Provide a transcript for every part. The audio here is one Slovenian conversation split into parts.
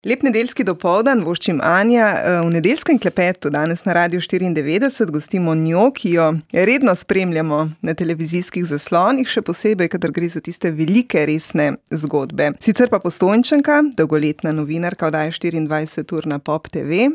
Lep nedeljski dopoldan, voščim Anja. V nedeljskem klepetu danes na Radiu 94 gostimo njo, ki jo redno spremljamo na televizijskih zaslonih, še posebej, kadar gre za tiste velike, resne zgodbe. Sicer pa Postojnčanka, dolgoletna novinarka oddaje 24 ur na Pop TV.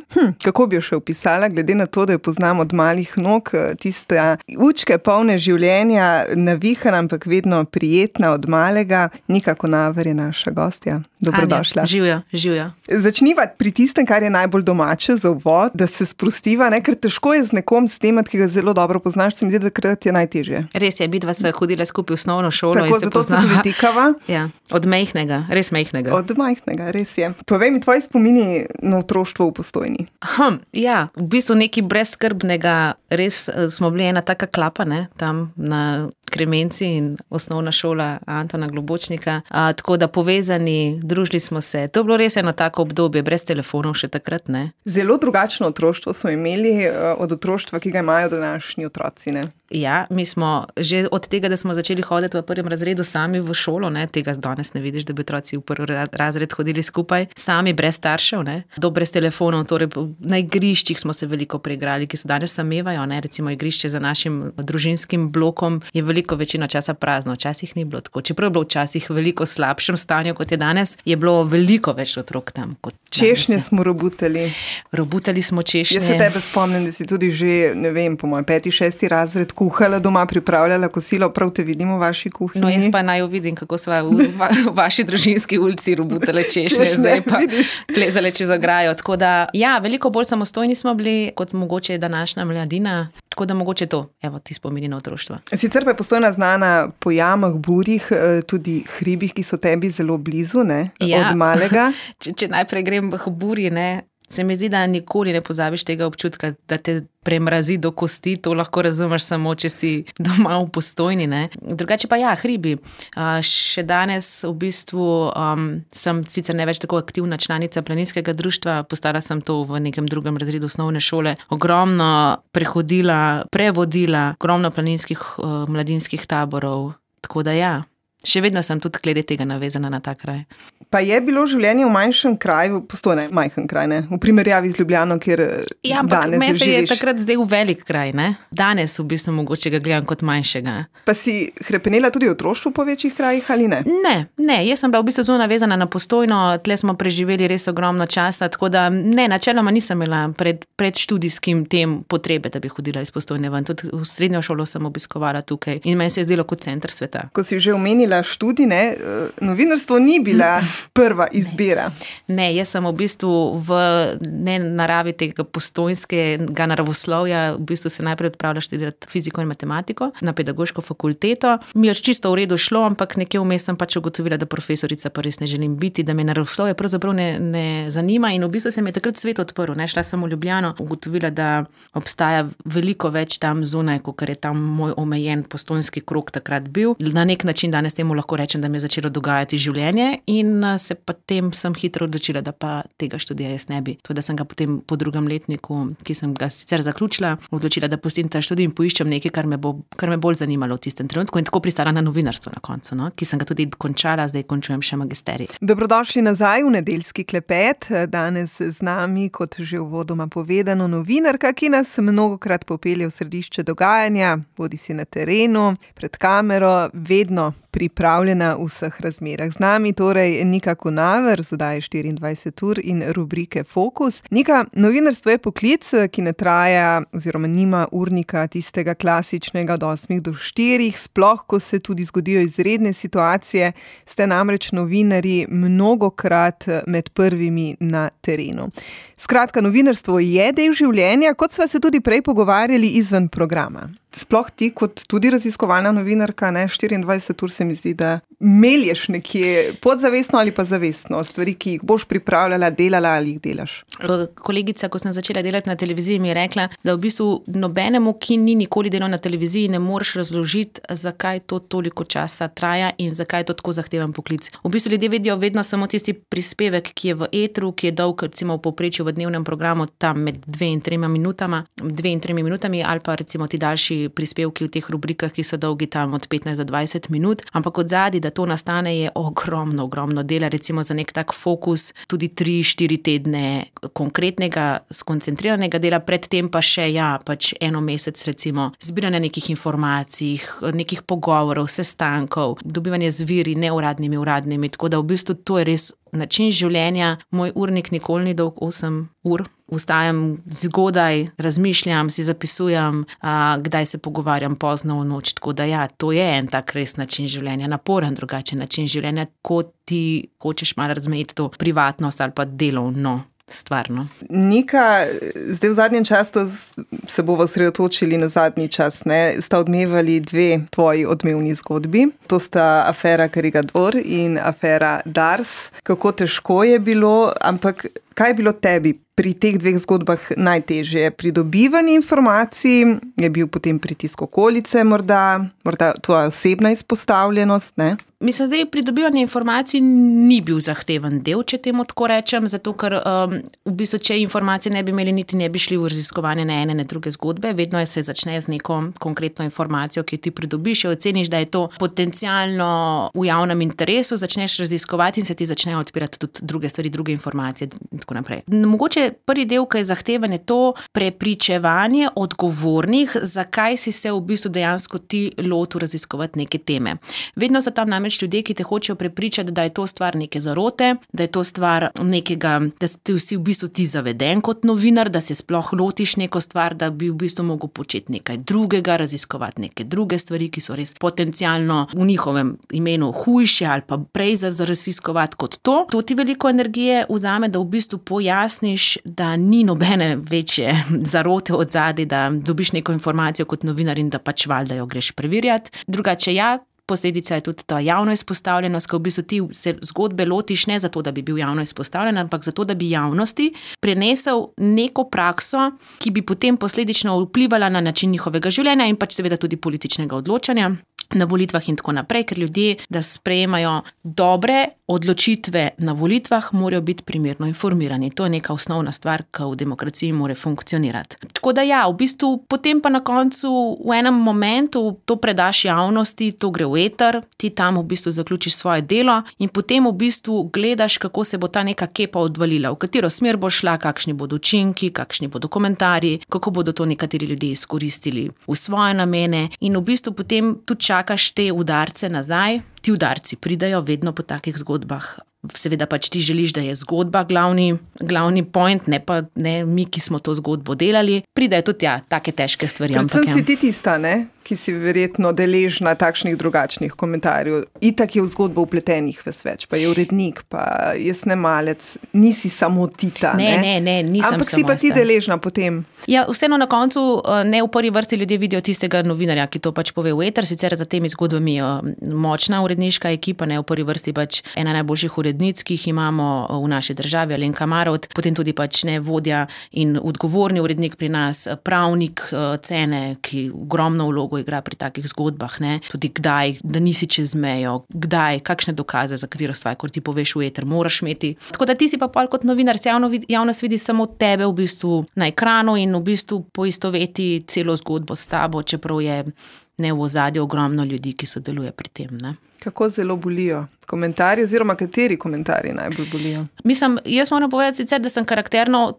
Kako bi jo še opisala, glede na to, da jo poznam od malih nog, tiste učke polne življenja, navihana, ampak vedno prijetna od malega. Nika Konaver je naša gostja. Dobrodošla. Anja, živjo. Začniva pri tistem, kar je najbolj domače za uvod, da se sprostiva, ne? Ker težko je z nekom snemati, ki ga zelo dobro poznaš, se mi zdi, da takrat je najtežje. Res je, midva sva hodila skupaj v osnovno šolo. Tako, zato se tudi tikava. Ja, od majhnega, res majhnega. Od majhnega, res je. Povej mi tvoji spomini na otroštvo v Postojni. Ja, v bistvu nekaj brezskrbnega, res smo bili ena taka klapa, ne, tam na Kremenci in osnovna šola Antona Globočnika, tako da povezani, družili smo se. To je bilo res eno tako obdobje, brez telefonov še takrat, ne. Zelo drugačno otroštvo smo imeli od otroštva, ki ga imajo današnji otroci, ne. Ja, mi smo že od tega, da smo začeli hoditi v prvem razredu sami v šolo, ne, tega danes ne vidiš, da bi otroci v prvi razred hodili skupaj, sami brez staršev, ne, brez telefonov, torej na igriščih smo se veliko preigrali, ki so danes samevajo, ne, recimo igrišče za našim družinskim blokom je veliko večino časa prazno, včasih ni bilo tako, čeprav je bilo včasih veliko slabšem stanju, kot je danes, je bilo veliko več otrok tam. Češnje smo robutali. Robutali smo češnje. Jaz se tebe spomnim, da si tudi že, ne vem, po moj 5., 6. razred kuhala doma, pripravljala kosilo, prav te vidim v vaši kuhinji. No, jaz pa naj vidim, kako sva v vaši družinski ulici robutale češnje, zdaj pa plezale čez ograjo. Tako da, ja, veliko bolj samostojni smo bili, kot mogoče današnja mladina, tako da mogoče to, evo, ti spomini na otroštvo. Sicer pa je Postojna znana po jamah, burjih, tudi hribih, ki so tebi zelo blizu, ne, ja. Od malega. Če najprej grem v burji, ne, se mi zdi, da nikoli ne pozabiš tega občutka, da te premrazi do kosti, to lahko razumeš samo, če si doma v Postojni, ne. Drugače pa ja, hribi. Še danes v bistvu sem sicer ne več tako aktivna članica planinskega društva, postala sem to v nekem drugem razredu osnovne šole, ogromno prevodila, ogromno planinskih mladinskih taborov, tako da ja. Še vedno sem tudi glede tega navezana na ta kraj. Pa je bilo življenje v manjšem kraju, Postojna je majhen kraj, ne? V primerjavi z Ljubljano, kjer ja, ampak danes meni se živiš. Je takrat zdaj v velik kraj, ne? Danes v bistvu mogoče ga gledam kot manjšega. Pa si hrepenela tudi otroštvo po večjih krajih ali ne? Ne, jaz sem bila v bistvu zelo navezana na Postojno, tle smo preživeli res ogromno časa, tako da ne, načeloma nisem imela pred študijskim tem potrebe, da bi hodila iz Postojne ven. Tudi v srednjo šolo sem obiskovala tukaj in meni se je zdelo kot center sveta. Ko si že omenila študij, ne, novinarstvo ni bila prva izbira. Ne, jaz sem v bistvu v naravi tega postojnskega naravoslovja, v bistvu se najprej odpravila študirati fiziko in matematiko na pedagoško fakulteto. Mi je čisto v redu šlo, ampak nekje vmes sem pač ugotovila, da profesorica pa res ne želim biti, da me naravoslovje pravzaprav ne zanima in v bistvu se mi je takrat svet odprl. Ne, šla sem v Ljubljano, ugotovila, da obstaja veliko več tam zunaj, kot je tam moj omejen postojnski krog takrat bil. Na nek način danes temu lahko rečem, da mi je začelo dogajati življenje in se potem sem hitro odločila, da pa tega študija jaz ne bi. To, da sem ga potem po drugem letniku, ki sem ga sicer zaključila, odločila, da pustim ta študij in poiščem nekaj, kar me bolj zanimalo v tistem trenutku in tako pristala na novinarstvo na koncu, no? Ki sem ga tudi končala, zdaj končujem še magisterij. Dobrodošli nazaj v nedeljski klepet. Danes z nami, kot že uvodoma povedano, novinarka, ki nas mnogokrat popelje v središče dogajanja, bodi si na terenu, pred kamero, vedno pripravljena v vseh razmerah. Z nami torej Nika Konaver z oddaje 24 ur in rubrike Fokus. Nika, novinarstvo je poklic, ki ne traja oziroma nima urnika tistega klasičnega od 8 do 4, sploh ko se tudi zgodijo izredne situacije, ste namreč novinarji mnogokrat med prvimi na terenu. Skratka, novinarstvo je del življenja, kot sva se tudi prej pogovarjali izven programa. Sploh ti kot tudi raziskovalna novinarka, ne, 24 ur se mi zdi, da melješ nekje podzavestno ali pa zavestno stvari, ki jih boš pripravljala, delala ali jih delaš. Kolegica, ko sem začela delati na televiziji, mi je rekla, da v bistvu nobenemu, ki ni nikoli delal na televiziji, ne moreš razložiti, zakaj to toliko časa traja in zakaj je to tako zahteven poklic. V bistvu ljudje vidijo vedno samo tisti prispevek, ki je v etru, ki je dolg, recimo v povprečju v dnevnem programu tam med 2 in 3 minutami ali pa recimo ti daljši prispevki v teh rubrikah, ki so dolgi tam od 15 do 20 minut, ampak od zadaj da to nastane, je ogromno dela, recimo za nek tak fokus, tudi 3-4 tedne konkretnega, skoncentriranega dela, predtem pa še, pač 1 mesec recimo, zbiranja nekih informacij, nekih pogovorov, sestankov, dobivanje z viri, neuradnimi, uradnimi, tako da v bistvu to je res način življenja. Moj urnik nikoli ni dolg 8 ur. Vstajam zgodaj, razmišljam, si zapisujem, kdaj se pogovarjam pozno v noč, tako da to je en tak res način življenja, naporen drugačen način življenja, ko ti hočeš malo razmejiti to privatnost ali pa delovno stvarno. Nika, zdaj v zadnjem času se bomo osredotočili na zadnji čas, ne? Sta odmevali 2 tvoji odmevni zgodbi. To sta afera Karigador in afera Dars. Kako težko je bilo, ampak kaj je bilo tebi pri teh 2 zgodbah najtežje? Pridobivanje informacij, je bil potem pritisk okolice, morda tvoja osebna izpostavljenost, ne? Mislim, zdaj pridobivanje informacij ni bil zahteven del, če temu tako rečem, zato ker v bistvu, če informacije ne bi imeli, niti ne bi šli v raziskovanje ne ene, ne druge zgodbe. Vedno se začne z neko konkretno informacijo, ki ti pridobiš, oceniš, da je to potencialno v javnem interesu, začneš raziskovati in se ti začnejo odpirati tudi druge stvari, druge informacije in tako naprej. Mogoče prvi del, ki je zahteven, je to prepričevanje odgovornih, zakaj si se v bistvu dejansko ti lotil raziskovati neke teme. Vedno so tam namreč ljudje, ki te hočejo prepričati, da je to stvar neke zarote, da je to stvar nekega, da si v bistvu ti zaveden kot novinar, da se sploh lotiš neko stvar, da bi v bistvu mogel početi nekaj drugega, raziskovati neke druge stvari, ki so res potencialno v njihovem imenu hujše ali pa prej za raziskovati kot to. To ti veliko energije vzame, da v bistvu pojasniš, da ni nobene večje zarote od zadaj, da dobiš neko informacijo kot novinar in da pač valjda jo greš preverjati. Drugače posledica je tudi ta javno izpostavljenost, ko v bistvu ti se zgodbe lotiš ne zato, da bi bil javno izpostavljen, ampak zato, da bi javnosti prenesel neko prakso, ki bi potem posledično vplivala na način njihovega življenja in pač seveda tudi političnega odločanja na volitvah in tako naprej, ker ljudje, da sprejemajo dobre odločitve na volitvah, morajo biti primerno informirani. To je neka osnovna stvar, ki v demokraciji mora funkcionirati. Tako da v bistvu potem pa na koncu v enem momentu to predaš javnosti, to gre v eter, ti tam v bistvu zaključiš svoje delo in potem v bistvu gledaš, kako se bo ta neka kepa odvalila, v katero smer bo šla, kakšni bodo učinki, kakšni bodo komentarji, kako bodo to nekateri ljudje izkoristili v svoje namene in v bistvu potem tudi čakaš te udarce nazaj. Ti udarci pridejo vedno po takih zgodbah. Seveda pač ti želiš, da je zgodba glavni point, ne mi, ki smo to zgodbo delali. Pridejo tudi take težke stvari. Predvsem si ti tista, ne? Ki si verjetno deležna takšnih drugačnih komentarjev. Itak je v zgodbo vpletenih ves več, pa je urednik, pa je snemalec, nisi samo tita, ne? Ne, nisem ampak si pa ti deležna potem. Vseeno na koncu ne v prvi vrsti ljudje vidijo tistega novinarja, ki to pač pove v eter, sicer za temi zgodbami močna uredniška ekipa, ne v prvi vrsti pač ena najboljših urednic, ki jih imamo v naši državi, Alenka Marovt, potem tudi pač vodja in odgovorni urednik pri nas, pravnik Cene, ki ogromno vlogo igra pri takih zgodbah, ne? Tudi kdaj, da nisi čez mejo, kdaj, kakšne dokaze, za katero stvar, ko ti poveš v eter, moraš imeti. Tako da ti si pa pol kot novinar, javnost vidi samo tebe v bistvu na ekranu in v bistvu poistoveti celo zgodbo s tabo, čeprav je v ozadju ogromno ljudi, ki sodeluje pri tem, ne? Kako zelo bolijo komentarji oziroma kateri komentarji najbolj bolijo? Mislim, jaz moram povedati sicer, da sem karakterno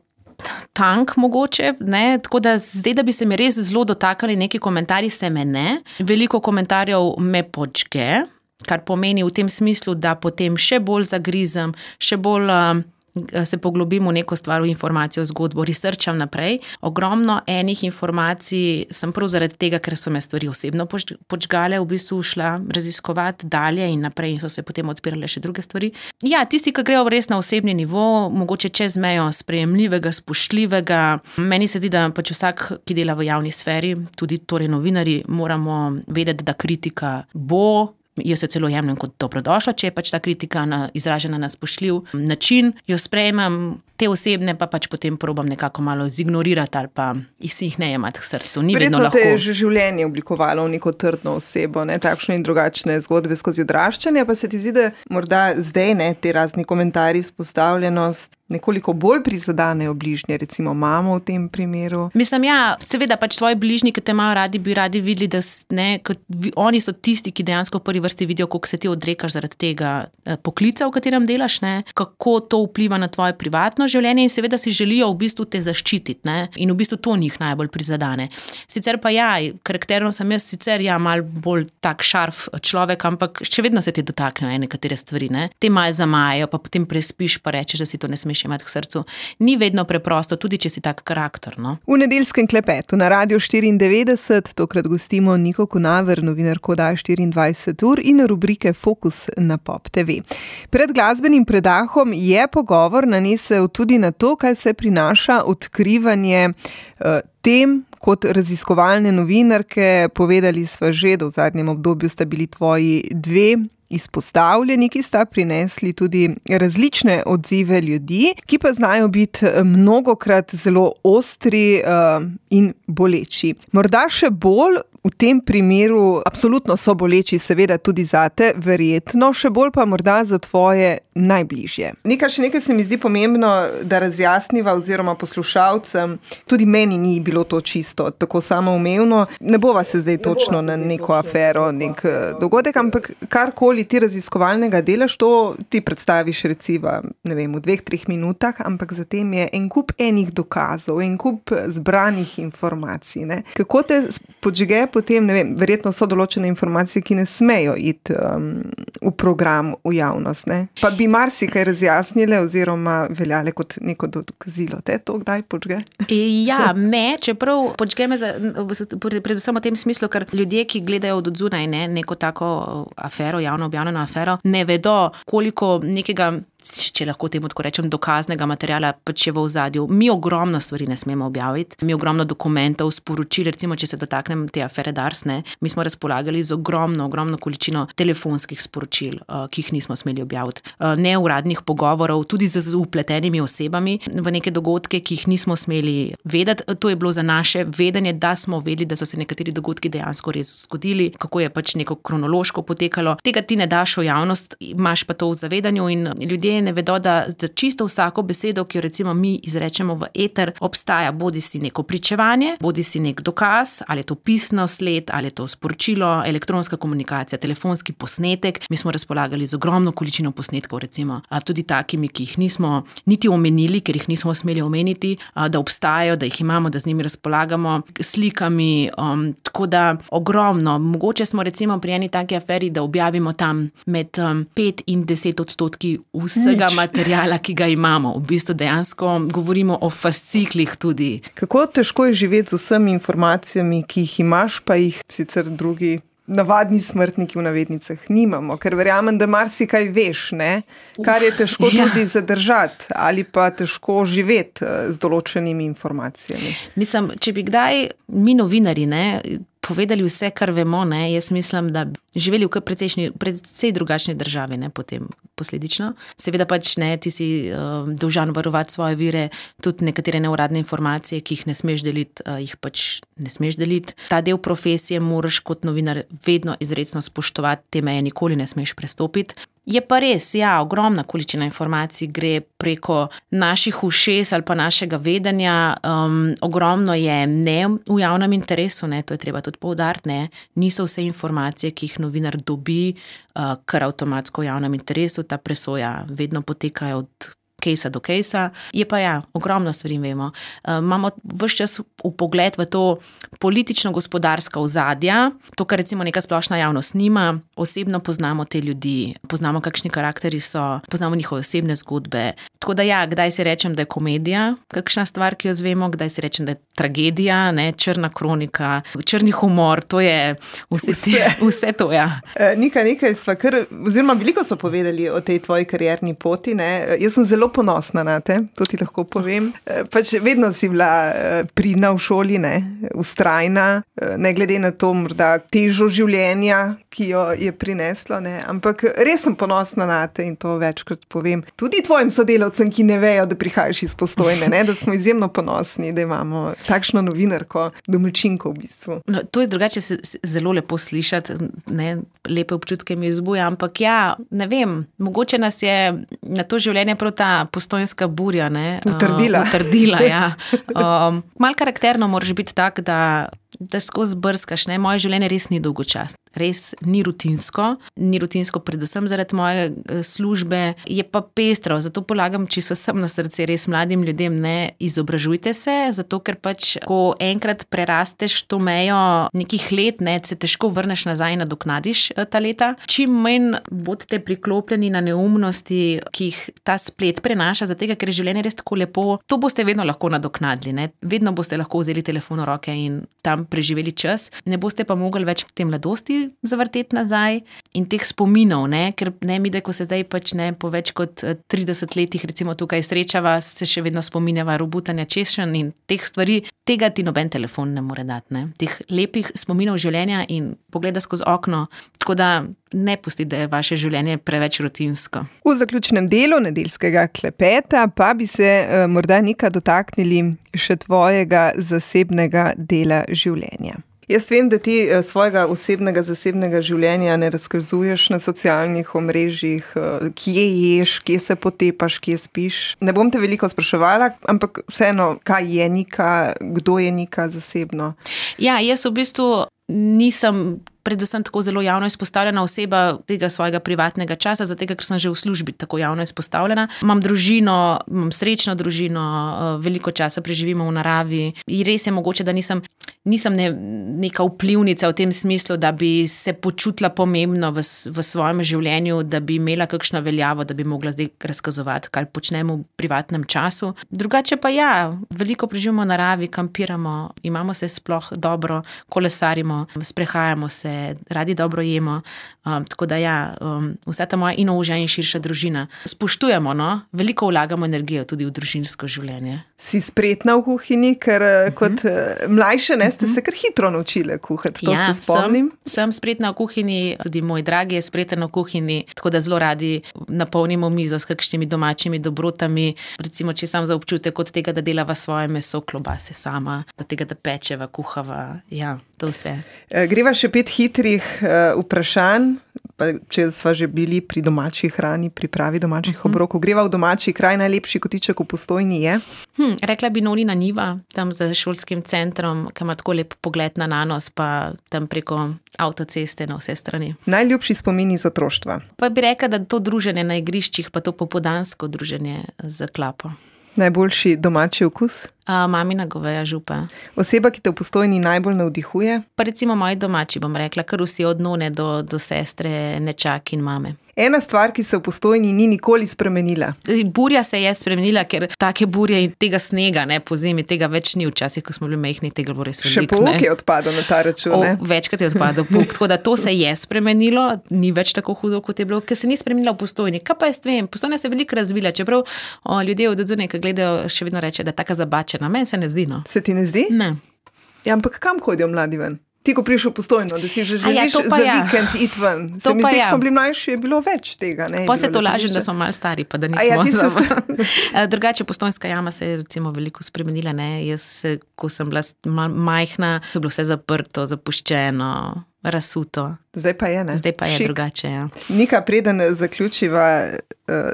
tank mogoče, ne, tako da zdaj, da bi se mi res zelo dotakali neki komentarji, se me ne. Veliko komentarjev me počke, kar pomeni v tem smislu, da potem še bolj zagrizem, še bolj se poglobim v neko stvar, v informacijo, zgodbo, researcham naprej. Ogromno enih informacij sem prav zaradi tega, ker so me stvari osebno počgale, v bistvu šla raziskovati dalje in naprej in so se potem odpirale še druge stvari. Tisti, ki grejo res na osebni nivo, mogoče čez mejo sprejemljivega, spoštljivega. Meni se zdi, da pač vsak, ki dela v javni sferi, tudi torej novinarji, moramo vedeti, da kritika bo. Jaz jo celo jemljem kot dobrodošla, če je pač ta kritika izražena na spoštljiv način. Jo sprejemam Te osebne pa pač potem probam nekako malo zignorirati ali pa si jih ne jemati k srcu. Ni Verjetno vedno lahko. Te je že življenje oblikovalo v neko trdno osebo, ne, takšne in drugačne zgodbe skozi odraščanje, pa se ti zdi, da morda zdaj, ne, te razni komentarji, izpostavljenost nekoliko bolj prizadanejo bližnje, recimo mamo v tem primeru? Mislim, ja, seveda pač tvoji bližnji, ki te imajo radi, bi radi videli, da oni so tisti, ki dejansko v prvi vrsti vidijo, koliko se ti odrekaš zaradi tega poklica, v katerem delaš, ne, kako to vpliva na tvoje privatno življenje in seveda si želijo v bistvu te zaščititi, ne, in v bistvu to njih najbolj prizadane. Sicer pa ja, karakterno sem jaz sicer malo bolj tak šarf človek, ampak še vedno se ti dotaknejo nekatere stvari, ne. Te malo zamajajo, pa potem prespiš, pa rečeš, da si to ne smeš imeti k srcu. Ni vedno preprosto, tudi če si tak karakter, no. V nedeljskem klepetu na Radiu 94 tokrat gostimo Niko Kunaver, novinarko oddaje 24 ur in rubrike Fokus na Pop TV. Pred glasbenim predahom je pogovor nanesel tudi na to, kaj se prinaša odkrivanje tem kot raziskovalne novinarke. Povedali sva že, da v zadnjem obdobju sta bili tvoji dve izpostavljeni, ki sta prinesli tudi različne odzive ljudi, ki pa znajo biti mnogokrat zelo ostri in boleči. Morda še bolj v tem primeru, absolutno so boleči, seveda tudi zate, verjetno, še bolj pa morda za tvoje najbližje. Še nekaj se mi zdi pomembno, da razjasniva oziroma poslušalcem, tudi meni ni bilo to čisto tako samoumevno. Ne bova se zdaj točno na neko afero, nek dogodek, ampak karkoli ti raziskovalnega delaš, to ti predstaviš recimo, ne vem, v 2-3 minutah, ampak zatem je en kup enih dokazov, en kup zbranih informacij, ne. Kako te podžge potem, ne vem, verjetno so določene informacije, ki ne smejo iti v program, v javnost, ne. Pa bi marsikaj razjasnile oziroma veljale kot neko dokazilo. Te to kdaj podžge? Ja, čeprav podžge me predvsem v tem smislu, ker ljudje, ki gledajo od odzunaj, ne, neko tako afero, javno objavljeno afero, ne vedo, koliko nekega, če lahko temu tako rečem, dokaznega materiala pač je v ozadju. Mi ogromno stvari ne smemo objaviti, mi ogromno dokumentov, sporočil, recimo, če se dotaknem te afere Dars, ne, mi smo razpolagali z ogromno količino telefonskih sporočil, ki jih nismo smeli objaviti. Neuradnih pogovorov, tudi z vpletenimi osebami v neke dogodke, ki jih nismo smeli vedeti. To je bilo za naše vedenje, da smo vedeli, da so se nekateri dogodki dejansko res zgodili, kako je pač neko kronološko potekalo. Tega ti ne daš v javnost, imaš pa to v zavedanju in ljudje ne vedo, da za čisto vsako besedo, ki jo recimo mi izrečemo v eter, obstaja bodisi neko pričevanje, bodisi nek dokaz, ali je to pisno sled, ali je to sporočilo, elektronska komunikacija, telefonski posnetek. Mi smo razpolagali z ogromno količino posnetkov, recimo, tudi takimi, ki jih nismo niti omenili, ker jih nismo smeli omeniti, da obstajajo, da jih imamo, da z njimi razpolagamo, slikami, tako da ogromno. Mogoče smo recimo pri eni taki aferi, da objavimo tam med 5 in 10% vsega materiala, ki ga imamo. V bistvu dejansko govorimo o fasciklih tudi. Kako težko je živeti z vsemi informacijami, ki jih imaš, pa jih sicer drugi navadni smrtniki v navednicah nimamo, ker verjamem, da marsikaj veš, ne? Kar je težko tudi zadržati ali pa težko živeti z določenimi informacijami. Mislim, če bi kdaj mi novinarji, ne, povedali vse, kar vemo, ne, jaz mislim, da bi živeli v precej drugačni državi, ne, potem posledično. Seveda pač ne, ti si dolžan varovati svoje vire, tudi nekatere neuradne informacije, ki jih ne smeš deliti, jih pač ne smeš deliti. Ta del profesije moraš kot novinar vedno izrecno spoštovati, te meje nikoli ne smeš prestopiti. Je pa res, ja, ogromna količina informacij gre preko naših ušes ali pa našega vedenja. Ogromno je ne v javnem interesu, ne, to je treba tudi poudariti, ne. Niso vse informacije, ki jih novinar dobi, kar avtomatsko v javnem interesu, ta presoja vedno potekajo od kejsa do kejsa. Je pa ja, ogromno stvari vemo. Imamo ves čas vpogled v to politično-gospodarska ozadja, to, kar recimo neka splošna javnost nima. Osebno poznamo te ljudi, poznamo, kakšni karakteri so, poznamo njihove osebne zgodbe. Tako da ja, kdaj si rečem, da je komedija kakšna stvar, ki jo zvemo, kdaj si rečem, da je tragedija, ne, črna kronika, črni humor, to je vse to, ja. Nekaj sva oziroma veliko sva povedali o tej tvoji karierni poti, ne. Jaz sem zelo zelo ponosna na te, to ti lahko povem. Pač vedno si bila pridna v šoli, ne, vztrajna, ne glede na to morda težo življenja, ki jo je prineslo, ne, ampak res sem ponosna na te in to večkrat povem. Tudi tvojim sodelavcem, ki ne vejo, da prihajaš iz Postojne, ne, da smo izjemno ponosni, da imamo takšno novinarko, domačinko v bistvu. No, to je drugače zelo lepo slišati, ne, lepe občutke mi izbuja, ampak ja, ne vem, mogoče nas je na to življenje prav ta postojnska burja, ne, utrdila, ja. Malo karakterno moraš biti tak, da skozi brskaš, ne, moje življenje res ni dolgočasno. Res ni rutinsko predvsem zaradi moje službe, je pa pestro, zato polagam čisto vsem na srce, res mladim ljudem, ne, izobražujte se, zato ker pač, ko enkrat prerasteš to mejo nekih let, ne, se težko vrneš nazaj in nadoknadiš ta leta. Čim manj bodite priklopljeni na neumnosti, ki jih ta splet prenaša, zato ker je življenje res tako lepo, to boste vedno lahko nadoknadili, ne, vedno boste lahko vzeli telefon v roke in tam preživeli čas, ne boste pa mogli več te mladosti zavrteti nazaj in teh spominov, ne, ker ne mi, da ko se zdaj pač ne po več kot 30 letih recimo tukaj srečava, se še vedno spominjava robutanja češenj in teh stvari, tega ti noben telefon ne more dati, ne, teh lepih spominov življenja in pogleda skozi okno, tako da ne pusti, da je vaše življenje preveč rutinsko. V zaključnem delu nedeljskega klepeta pa bi se morda Nika dotaknili še tvojega zasebnega dela življenja. Jaz vem, da ti svojega osebnega, zasebnega življenja ne razkazuješ na socialnih omrežjih, kje ješ, kje se potepaš, kje spiš. Ne bom te veliko spraševala, ampak vseeno, kaj je Nika, kdo je Nika zasebno? Ja, jaz v bistvu nisem predvsem tako zelo javno izpostavljena oseba tega svojega privatnega časa, zato ker sem že v službi tako javno izpostavljena. Imam družino, imam srečno družino, veliko časa preživimo v naravi in res je mogoče, da nisem neka vplivnica v tem smislu, da bi se počutila pomembno v svojem življenju, da bi imela kakšno veljavo, da bi mogla zdaj razkazovati, kar počnemo v privatnem času. Drugače pa ja, veliko preživimo v naravi, kampiramo, imamo se sploh dobro, kolesarimo, sprehajamo se, radi dobro jemo, tako da ja, vsa ta moja in ožja in širša družina. Spoštujemo, no, veliko vlagamo energijo tudi v družinsko življenje. Si spretna v kuhinji, ker kot mlajše ne ste se kar hitro naučile kuhati, to ja, se spomnim. Sem spretna v kuhinji, tudi moj dragi je spreten v kuhinji, tako da zelo radi napolnimo mizo s kakšnimi domačimi dobrotami, recimo, če sam za občutek od tega, da delava svoje meso, klobase sama, do tega, da pečeva, kuhava, ja, to vse. Greva še 5 hitrih vprašanj, pa če sva že bili pri domači hrani, pripravi domačih obrokov. Greva v domači kraj, najlepši kotiček v Postojni je? Rekla bi Nolina Njiva, tam za šolskim centrom, ki ima tako lep pogled na Nanos, pa tam preko avtoceste na vse strani. Najljubši spomini iz otroštva? Pa bi rekla, da to druženje na igriščih, pa to popoldansko druženje z klapo. Najboljši domači okus? Mamina goveja župa. Oseba, ki te v Postojni najbolj navdihuje? Pa recimo moji domači, bom rekla, kar vsi od none do sestre, nečak in mame. Ena stvar, ki se v Postojni ni nikoli spremenila? Burja se je spremenila, ker take burje in tega snega, ne, po zimi, tega več ni včasih, ko smo bili majhni, tega bo res veliko. Še pouk je odpadel na ta račun, ne? Večkrat je odpadel pouk, tako da to se je spremenilo, ni več tako hudo, kot je bilo, ker se ni spremenila v Postojni. Kaj pa jaz vem, Postojna se je veliko razvila, čeprav ljudje od odzune, ki gledajo, še vedno reče, da je taka zabačena. Meni se ne zdi, no. Se ti ne zdi? Ne. Ja, ampak kam hodijo mladi ven? Ti, ko prišel v Postojno, da si že želiš za vikend iti ven. Se mi zdi, ko smo bili mlajši, je bilo več tega, ne? Pa se to lažem, da smo malo stari, pa da nismo. Drugače, Postojnska jama se je recimo veliko spremenila, ne? Jaz, ko sem bila majhna, je bilo vse zaprto, zapuščeno, razsuto. Zdaj pa je, ne? Zdaj pa je drugače, ja. Nika, preden zaključiva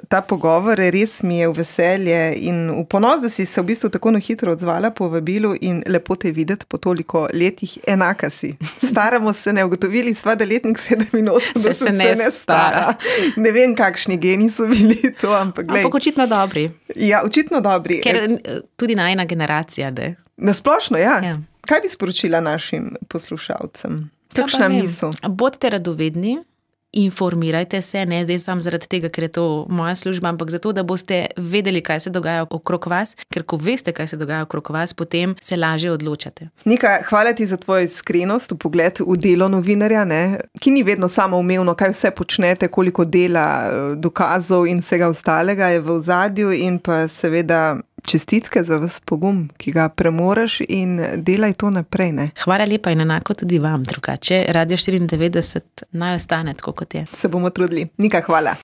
ta pogovor, res mi je v veselje in v ponos, da si se v bistvu tako hitro odzvala po vabilu in lepo te videti po toliko letih, enaka si. Staramo se, ne, ugotovili sva, da letnik 87 se ne stara. Ne vem, kakšni geni so bili to, ampak glej. Ampak očitno dobri. Ja, očitno dobri. Ker tudi najina generacija, da. Nasplošno, ja. Kaj bi sporočila našim poslušalcem? Kakšna misel? Bodite radovedni, informirajte se, ne zdaj samo zaradi tega, ker je to moja služba, ampak zato, da boste vedeli, kaj se dogaja okrog vas, ker ko veste, kaj se dogaja okrog vas, potem se lažje odločate. Nika, hvala ti za tvojo iskrenost, pogled v delo novinarja, ne? Ki ni vedno samoumevno, kaj vse počnete, koliko dela, dokazov in vsega ostalega je v ozadju, in pa seveda čestitke za vas pogum, ki ga premoreš, in delaj to naprej, ne? Hvala lepa in enako tudi vam, drugače Radio 94 naj ostane tako, kot je. Se bomo trudili. Nika, hvala.